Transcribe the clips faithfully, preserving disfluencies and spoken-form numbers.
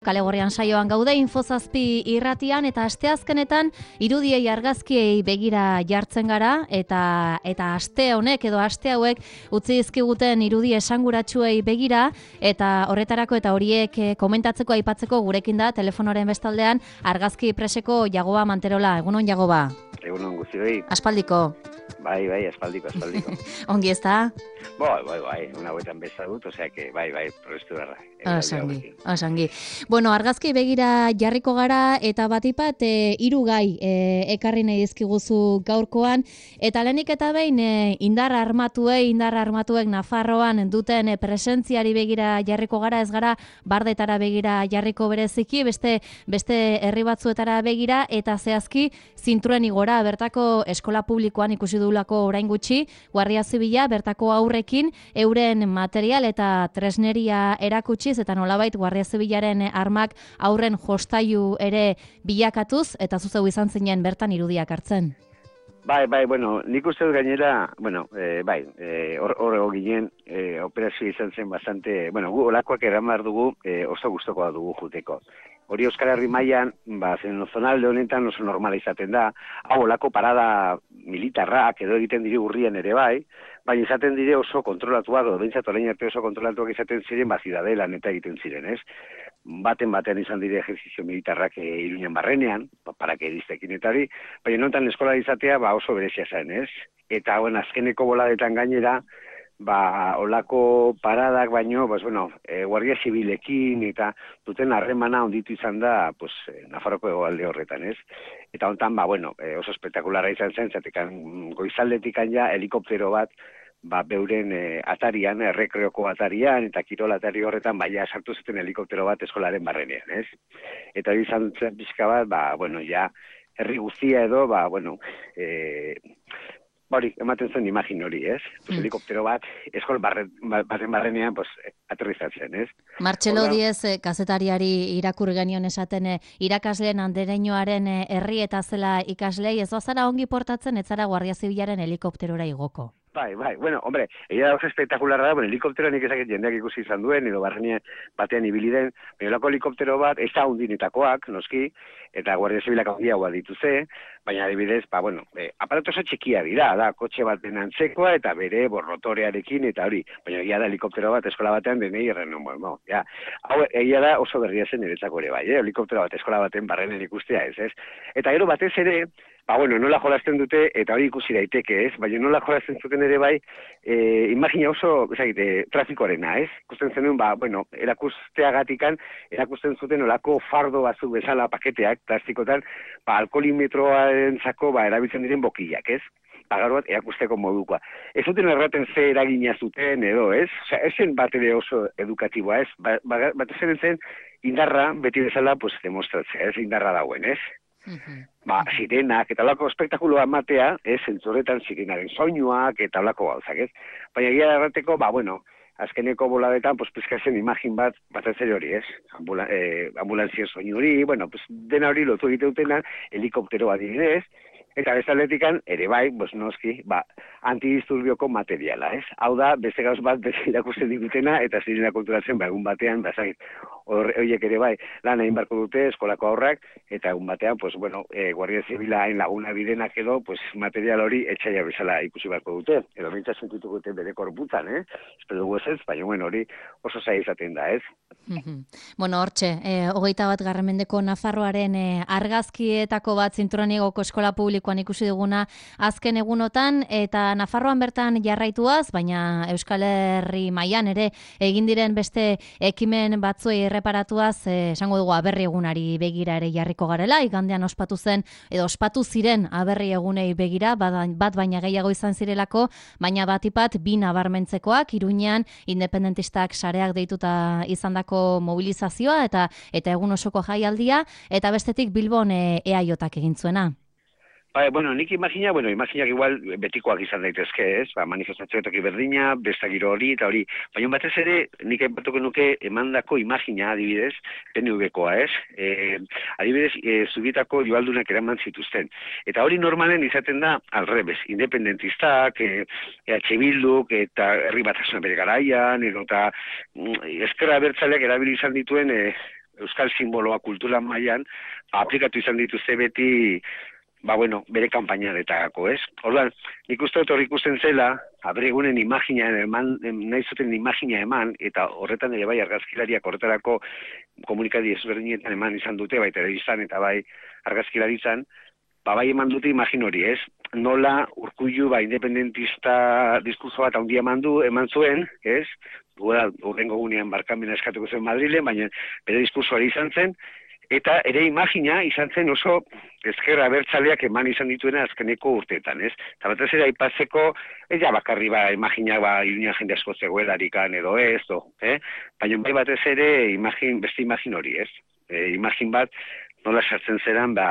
Kale Gorrian saioan gaude Infozazpi irratian eta asteazkenetan irudiei argazkiei begira jartzen gara eta eta aste honek edo aste hauek utzi dizkiguten irudi esanguratsuei begira eta horretarako eta horiek komentatzeko aipatzeko gurekin da telefonoren bestaldean argazki preseko Jagoba Manterola. Egunon Jagoba. Egunon guztioi. Aspaldiko. Bai, bai, aspaldiko, aspaldiko. Ongi ezta? Bai, bai, bai, una buetan bezagut, osea que bai, bai, probestu berra. Osangi, osangi. Bueno, argazki begira jarriko gara eta batipat e, hiru gai e, ekarri nahi dizkiguzu gaurkoan eta lehenik eta behin e, indar armatuei, indar armatuek Nafarroan duten e, presentziari begira jarriko gara, ez gara bardetara begira jarriko bereziki, beste beste herri batzuetara begira eta zehazki zintruren igora bertako eskola publikoan ikusi dugulako orain gutxi, Guardia Zibila bertako aurrekin euren material eta tresneria erakutsi eta nolabait Guardia Zibilaren armak aurren jostailu ere bilakatuz eta zuzeu izan zinen bertan irudiak hartzen. Bai, bai, bueno, nik uste dut gainera, bueno, eh, bai, hor eh, ginen, eh, operazio izan zen bastante, bueno, gu olakoak eramar dugu, eh, oso gustokoa dugu juteko. Hori Euskal Herri mailan, ba, zen zonalde honetan oso normala izaten da, hau olako parada militarrak edo egiten diri urrien ere bai, baina izaten dire oso kontrolatuak, edo behintzat orain arte oso kontrolatuak izaten ziren, ba, zidadelan eta egiten ziren, ez? Baten batean izan dire ejerzizio militarrak e, Iruñan barrenean, ba, parakediztekin eta hori, baina nontan eskola izatea ba, oso berezia zen, ez? Eta bueno, azkeneko boladetan gainera, ba, olako paradak baino, pues, bueno, e, Guardia Zibilekin eta duten harremana onditu izan da, pues, Nafarroko hegoalde horretan, ez? Eta hontan, ba, bueno, e, oso espektakularra izan zen, zatekan goizaldetikan ja helikoptero bat, ba, beuren e, atarian, errekreoko atarian, eta kirol atari horretan, baina sartu zuten helikoptero bat eskolaren barrenean, ez? Eta hori izan zen pixka bat, ba, bueno, ja, herri guztia edo, ba, bueno, e, hori, ematen zen imagin hori, ez? Pues, mm. Helikoptero bat, eskol barren, baten barrenean, pues, aterrizatzen, ez? Martxelo Diez, eh, kazetariari irakur genion esaten, eh, irakasleen andereñoaren eh, herri eta zela ikaslei, ez bazara ongi portatzen, ez zara Guardia Zibilaren helikopterora igoko. Bai, bai, bueno, hombre, egia da oso espektakularra da, bueno, helikoptero nik ezakit jendeak ikusi izan duen, edo barrenean batean ibili den, baina olako helikoptero bat, ez da hundinetakoak, noski, eta Guardia Zibilak handiagoa dituze, baina adibidez, ba, bueno, e, aparato oso txikia dira, da, kotxe baten antzekoa, eta bere borrotorearekin, eta hori, baina egia da helikoptero bat eskola batean denei erren, bueno, ja, hau, egia da oso berria zen niretzako ere bai, eh? Helikoptero bat eskola baten barrenen ikustea ez, ez? Eta gero batez ere, ba, bueno, nola jolasten dute, eta hori ikusi daiteke, ez? Baina nola jolasten zuten ere bai, e, imagina oso, ezagite, trafikoarena, ez? Ikusten zenuen, ba, bueno, erakusteagatikan, erakusten zuten olako fardo batzuk bezala paketeak, plastikotan, ba, alkoholimetroaren zako, ba, erabiltzen diren bokiak, ez? Pagar bat erakusteko modukoa. Ez zuten erraten ze eragina zuten edo, ez? Osea, ez zen bat ere oso edukatiboa, ez? Ba, ba, bat zen zen indarra, beti bezala, pues, demostratzea, ez? Indarra dauen, ez? Uh-huh. Ba, sirenak, eta olako espektakuloa matea, ez, zentzuretan sirenaren soinuak, eta olako gauzak, ez? Baina gira errateko, ba, bueno, azkeneko boladetan, pues, pizkazen imagin bat, bat ez hori, ez? Ambula, eh, ambulantzien soinu hori, bueno, pues, dena hori lotu egite dutenan, helikoptero adibidez, eta bezaletikan, ere bai, pues, noski, ba, antidisturbioko materiala, ez? Hau da, beste gauz bat, beste irakusten digutena, eta zirena kulturatzen, ba, egun batean, bazait, horiek ere bai, lan egin barko dute, eskolako aurrak, eta egun batean, pues, bueno, e, Guardia Zibila hain laguna bidenak edo, pues, material hori etxaila bezala ikusi barko dute, edo mintza sentituko dute bere korputan, eh? Espero dugu ez, baina, bueno, hori oso zaila izaten da, ez? Bueno, hortxe, eh, hogeita bat garramendeko Nafarroaren eh, argazkietako bat zinturanigoko eskola publikoan ikusi duguna azken egunotan, eta Nafarroan bertan jarraituaz, baina Euskal Herri mailan ere egin diren beste ekimen batzuei erreparatuaz, eh, esango dugu aberri egunari begira ere jarriko garela, igandean ospatu zen, edo ospatu ziren aberri egunei begira, bat baina gehiago izan zirelako, baina batipat bi nabarmentzekoak, Iruñean independentistak sareak deituta izandako mobilizazioa eta eta egun osoko jaialdia, eta bestetik Bilbon e, eaiotak egin zuena. Ba, bueno, nik imagina, bueno, imaginak igual betikoak izan daitezke, ez? Ba, manifestazioetak berdina, besta giro hori, eta hori. Baina batez ere, nik aipatuko nuke emandako imagina, adibidez, P N V-koa, ez? E, adibidez, e, Zubietako joaldunak eraman zituzten. Eta hori normalen izaten da, alrebez, independentistak, e, E H Bilduk, eta herri batasuna bere garaian, edo eta mm, ezkerra abertzaleak erabili izan dituen, e, euskal simboloa kultura mailan aplikatu izan dituzte beti, ba bueno, bere kanpainaretako, ez? Orduan, nik uste dut hor ikusten zela, abregunen imagina eman, nahi zuten imagina eman, eta horretan ere bai argazkilariak horretarako komunikadi ezberdinetan eman izan dute, bai telebistan eta bai argazkilaritzan, ba bai eman dute imagin hori, ez? Nola Urkullu ba independentista diskurso bat handia eman du, eman zuen, ez? Duela, urrengo gunean barkamena eskatuko zen Madrilen, baina bere diskursoari izan zen, eta ere imagina izan zen oso ezkerra abertzaleak eman izan dituena azkeneko urteetan, ez? Eta batez ere aipatzeko, ez ja bakarri ba, imagina ba, Iruña jende asko zegoelarikan edo ez, do, eh? Baina bai batez ere imagin, beste imagin hori, ez? E, imagin bat, nola sartzen zeran, ba,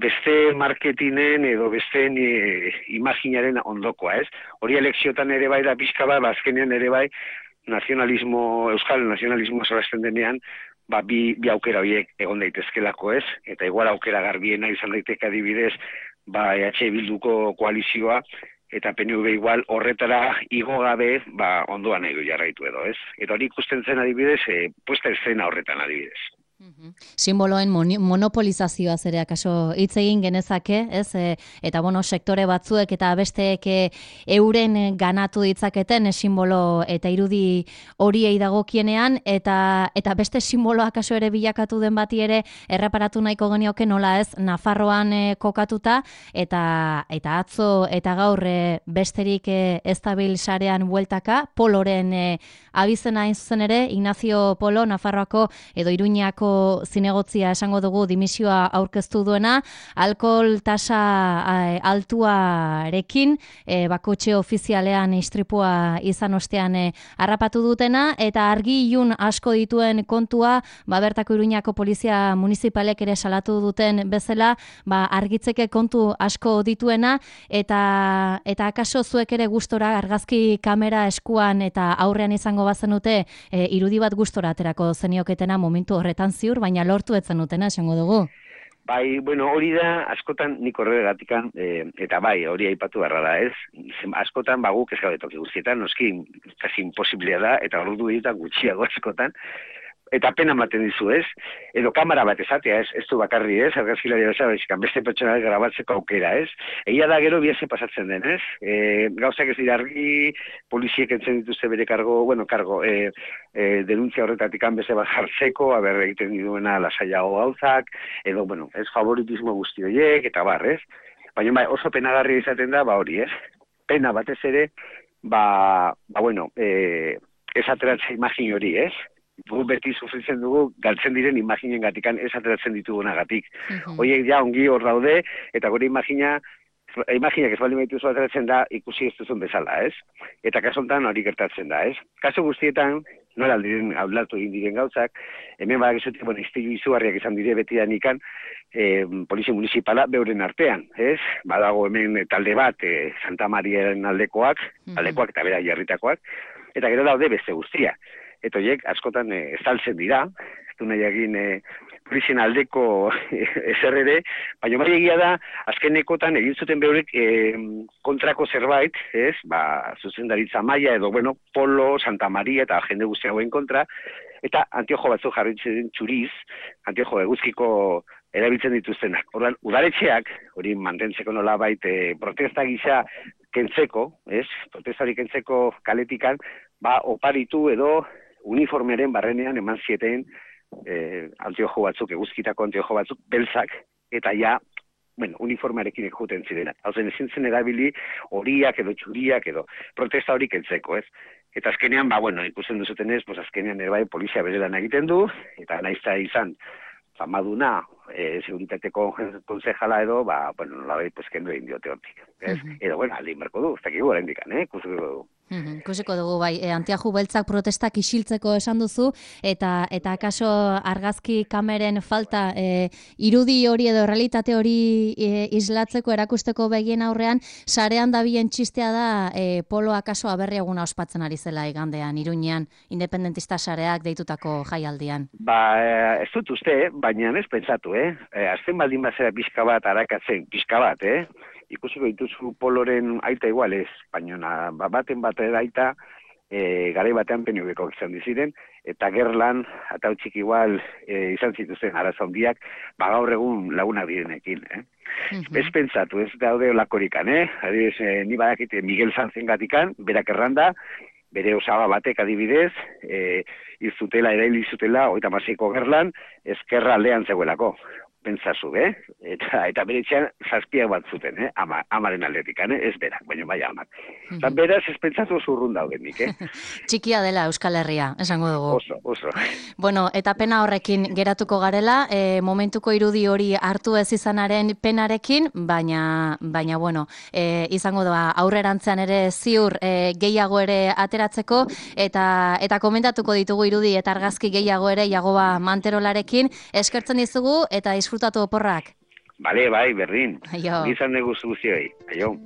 beste marketinen edo beste e, imaginaren ondokoa, ez? Hori elekziotan ere bai da pixka bat, azkenean ere bai, nazionalismo, euskal nazionalismo zorazten denean, ba, bi, bi aukera horiek egon daitezkelako, ez? Eta igual aukera garbiena izan daiteke adibidez, ba, E H Bilduko koalizioa, eta P N V igual horretara igo gabe, ba, ondoan edo jarraitu edo, ez? Eta hori ikusten zen adibidez, e, puesta escena horretan adibidez. Simboloen monopolizazioa ere akaso hitz egin genezake, ez? E, eta bueno, sektore batzuek eta besteek e, euren ganatu ditzaketen e, simbolo eta irudi horiei dagokienean, eta eta beste simbolo akaso ere bilakatu den bati ere erreparatu nahiko genioke nola ez Nafarroan e, kokatuta, eta eta atzo eta gaur e, besterik e, ez dabil sarean bueltaka, Poloren e, abizena hain zuzen ere, Ignacio Polo, Nafarroako edo Iruñako zinegotzia esango dugu dimisioa aurkeztu duena, alkohol tasa e, altuarekin, e, bakotxe ofizialean istripua izan ostean e, harrapatu dutena, eta argi ilun asko dituen kontua, ba, bertako Iruñako polizia municipalek ere salatu duten bezala, ba, argitzeke kontu asko dituena, eta eta akaso zuek ere gustora argazki kamera eskuan eta aurrean izango bazenute e, irudi bat gustora aterako zenioketena momentu horretan ziur, baina lortu etzen dutena, esango dugu. Bai, bueno, hori da, askotan nik horregatikan, e, eta bai, hori aipatu beharra da, ez? Askotan, baguk ez gaude toki guztietan, noski, kasi imposiblea da, eta ordu egiten gutxiago askotan, eta pena ematen dizu, ez? Edo kamera bat esatea, ez? Ez du bakarri, ez? Argazkilari bezala, beste pertsona grabatzeko aukera, ez? Egia da gero biaze pasatzen den, ez? E, gauzak ez dira argi, poliziek entzen dituzte bere kargo, bueno, kargo, e, e, denuntzia horretatik beste bat jartzeko, haber egiten duena lasaiago gauzak, edo, bueno, ez favoritismo guzti horiek, eta bar, ez? Baina bai, oso penagarria izaten da, ba hori, ez? Pena batez ere, ba, ba bueno, e, ez ateratzea imagin hori, ez? Gu beti sufritzen dugu galtzen diren imaginen gatikan ez ateratzen ditugunagatik. Uh-huh. Oiek ja ongi hor daude, eta gure imagina, imaginak ez baldin baituzu ateratzen da ikusi ez duzun bezala, ez? Eta kasontan hori gertatzen da, ez? Kasu guztietan, nola aldiren aldatu egin diren gauzak, hemen badakizutik, bueno, iztilu izugarriak izan dire beti danikan, e, polizia municipala beuren artean, ez? Badago hemen talde bat, e, Santa Mariaren aldekoak, uh-huh. aldekoak eta bera jarritakoak, eta gero daude beste guztia. Eta horiek askotan e, estaltzen dira, ez du nahi egin e, polizien aldeko ezer ere, baina bai egia da, azkenekotan egin zuten behorek e, kontrako zerbait, ez, ba, zuzendaritza maila edo, bueno, Polo, Santa Maria eta jende guztiagoen kontra, eta antiojo batzuk jarritzen txuriz, antiojo eguzkiko erabiltzen dituztenak. Orduan, udaletxeak, hori mantentzeko nolabait e, protesta gisa kentzeko, ez, protestari kentzeko kaletikan, ba, oparitu edo uniformearen barrenean eman zieten eh, antiojo batzuk, eguzkitako antiojo batzuk, beltzak, eta ja, bueno, uniformearekin ekuten zirenak. Hau zen, ezin zen erabili horiak edo txuriak edo protesta hori kentzeko, ez? Eta azkenean, ba, bueno, ikusten duzuten ez, pues azkenean ere bai polizia bere lan egiten du, eta naizta izan, famaduna, e, seguritateko konsejala edo, ba, bueno, nola bai, pues, kendu egin diote hortik. Uh-huh. Edo, bueno, aldin berko du, ez dakigu gara indikan, eh? Kusiko dugu. Mm-hmm. Kusiko dugu, bai, e, antiaju beltzak protestak isiltzeko esan duzu, eta eta akaso argazki kameren falta e, irudi hori edo realitate hori e, islatzeko, erakusteko begien aurrean, sarean dabilen txistea da e, Polo akaso aberri eguna ospatzen ari zela igandean, Iruñean, independentista sareak deitutako jaialdian. Ba, ez dut uste, baina ez pentsatu, eh? E, azten baldin bazera pixka bat arakatzen, pixka bat, eh? Ikusiko dituzu Poloren aita igual ez, baina ba, baten bat aita e, garai batean P N V-ko izan diziren, eta gerlan, eta utxik igual e, izan zituzen arazo handiak, ba gaur egun lagunak direnekin, eh? Mhm. Ez pentsatu, ez daude olakorikan, eh? Adibidez, eh, ni badakite Miguel Sanzen gatikan, berak erranda, bere osaba batek adibidez, e, izutela, erail izutela, oita masiko gerlan, ezkerra aldean zegoelako. Pentsazu, eh? Eta, eta bere etxean zazpiak bat zuten, eh? Ama, amaren aldetikan, eh? Ez berak, baina bai amak. Mhm. Eta beraz, ez pentsatu zurrun daudenik, eh? Txikia dela Euskal Herria, esango dugu. Oso, oso. Bueno, eta pena horrekin geratuko garela, e, momentuko irudi hori hartu ez izanaren penarekin, baina, baina bueno, e, izango da aurrerantzean ere ziur e, gehiago ere ateratzeko, eta eta komentatuko ditugu irudi eta argazki gehiago ere Jagoba Manterolarekin, eskertzen dizugu eta disfrutatu oporrak. Bale, bai, berdin. Aio. Gizan dugu zuzioi. Aio.